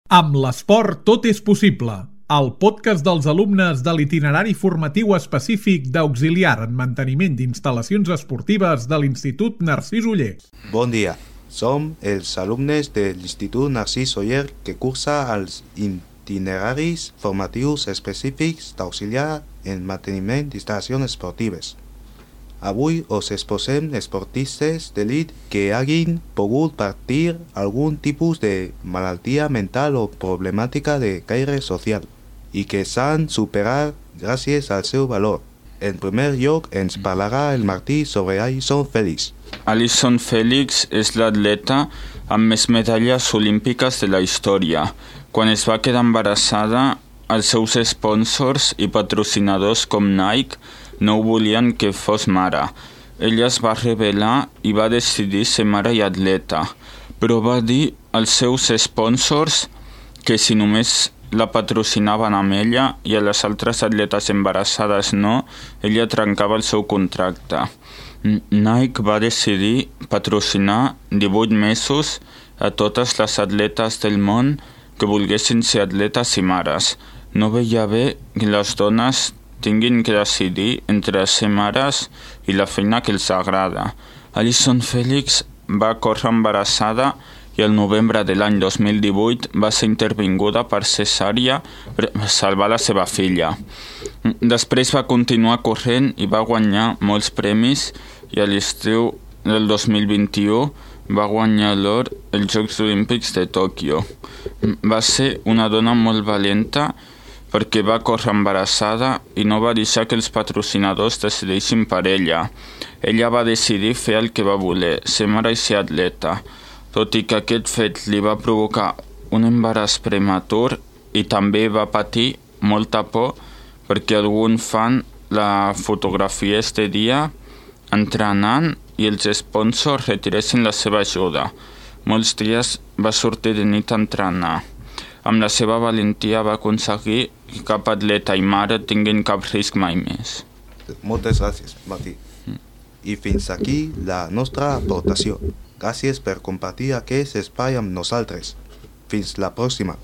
Amb l'esport tot és possible. El podcast dels alumnes de l'itinerari formatiu específic d'auxiliar en manteniment d'instal·lacions esportives de l'Institut Narcís Oller. Bon dia, som els alumnes de l'Institut Narcís Oller que cursa els itineraris formatius específics d'auxiliar en manteniment d'instal·lacions esportives. Avui us exposem esportistes d'elit que hagin pogut patir algun tipus de malaltia mental o problemàtica de caire social i que s'han superat gràcies al seu valor. En primer lloc ens parlarà el Martí sobre Allyson Félix. Allyson Félix és l'atleta amb més medalles olímpiques de la història. Quan es va quedar embarassada, els seus sponsors i patrocinadors com Nike no volien que fos mare. Ella es va rebel·lar i va decidir ser mare i atleta, però va dir als seus sponsors que si només la patrocinaven amb ella i a les altres atletes embarassades no, ella trencava el seu contracte. Nike va decidir patrocinar 18 mesos a totes les atletes del món que volguessin ser atletes i mares. No veia bé que les dones tinguin que decidir entre ser mares i la feina que els agrada. Allyson Félix va córrer embarassada i el novembre de l'any 2018 va ser intervinguda per cesària per salvar la seva filla. Després va continuar corrent i va guanyar molts premis i a l'estiu del 2021 va guanyar l'or als Jocs Olímpics de Tòquio. Va ser una dona molt valenta perquè va córrer embarassada i no va deixar que els patrocinadors decideixin per ella. Ella va decidir fer el que va voler, ser mare i ser atleta. Tot i que aquest fet li va provocar un embaràs prematur i també va patir molta por perquè algun fan la fotografiés de dia entrenant i els sponsors retiressin la seva ajuda. Molts dies va sortir de nit a entrenar. Amb la seva valentia va aconseguir que cap atleta i mare tinguin cap risc mai més. Moltes gràcies, Martí. I fins aquí la nostra aportació. Gràcies per compartir aquest espai amb nosaltres. Fins la pròxima.